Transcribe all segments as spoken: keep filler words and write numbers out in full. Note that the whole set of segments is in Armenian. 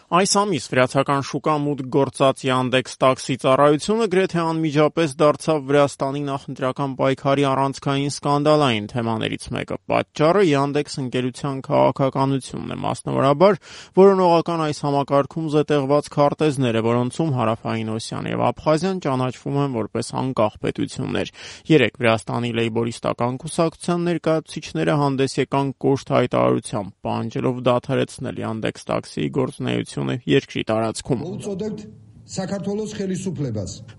Այս ամիս վրացական շուկա մուտք գործած Yandex տաքսի ծառայությունը գրեթե անմիջապես դարձավ Վրաստանի նախընտրական պայքարի առանցքային սկանդալային թեմաներից մեկը։ Պատճառը Yandex ընկերության քաղաքականությունն է, մասնավորաբար որոնողական այս համակարգում զետեղված քարտեզները, որոնցում Հարավային Օսիան եւ Աբխազիան ճանաչվում են որպես անկախ պետություններ։ Երեկ Վրաստանի լեյբորիստական կուսակցության ներկայացուցիչները հանդես եկան կոշտ հայտարարությամբ, պահանջելով դադարեցնել Yandex տաքսիի գործունեությունը երկրի տարածքում։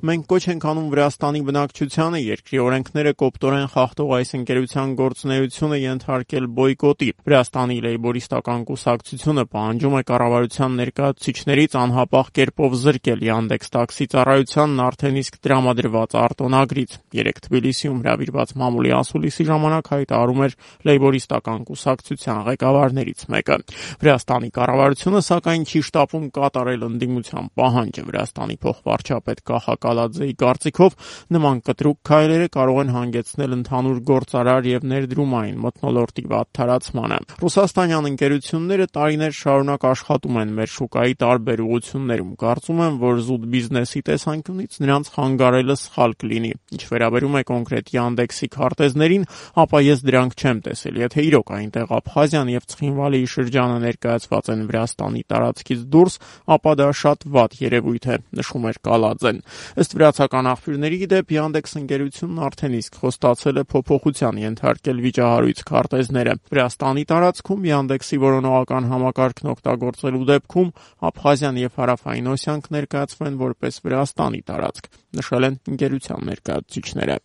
Մենք կոչ ենք անում Վրաստանի բնակչությանը երկրի օրենքները կոպտորեն խախտող այս ընկերության գործունեությունը ենթարկել բոյկոտի։ Վրաստանի լեյբորիստական կուսակցությունը պահանջում է կառավարության ներկայացուցիչներից անհապաղ կերպով զրկել Yandex տաքսի ծառայությանն արդեն իսկ տրամադրված արտոնագրից։ Երեկ Թբիլիսիում հրավիրված մամուլի ասուլիսի ժամանակ հայտարարում էր լեյբորիստական կուսակցության ղեկավարներից մեկը։ Վրաստանի կառավարությունը սակայն չի շտապում կատարել ընդդիմության պահանջը։ Վրաստանի փոխվարչապետ Կախա Կալաձեի կարծիքով նման կտրուկ քայլերը կարող են հանգեցնել ընդհանուր գործարար եւ ներդրումային մթնոլորտի վատթարացմանը։ Ռուսաստանյան ընկերությունները տարիներ շարունակ աշխատում են մեր շուկայի տարբեր ուղղություններում։ Կարծում եմ, որ զուտ բիզնեսի տեսանկյունից նրանց խանգարելը սխալ կլինի։ Ինչ վերաբերում է կոնկրետ Yandex-ի քարտեզներին, ապա ես դրանք չեմ տեսել։ Եթե իրոք այնտեղ Աբխազիան եւ Ցխինվալիի շրջանը ներկայացված են Վրաստանի տարածքից դուրս, ապա դա շատ վատ երևույթ է, նշում էր Կալաձեն։ Ըստ վրացական աղբյուրների դեպ Yandex ընկերությունն արդեն իսկ խոստացել է փոփոխության ենթարկել վիճահարույց քարտեզները։ Վրաստանի տարածքում Yandex-ի որոնողական համակարգն օգտագործելու դեպքում Աբխազիան եւ Հարավային Օսիան կներկայացվեն որպես Վրաստանի տարածք, նշել են ընկերության ներկայացուցիչները։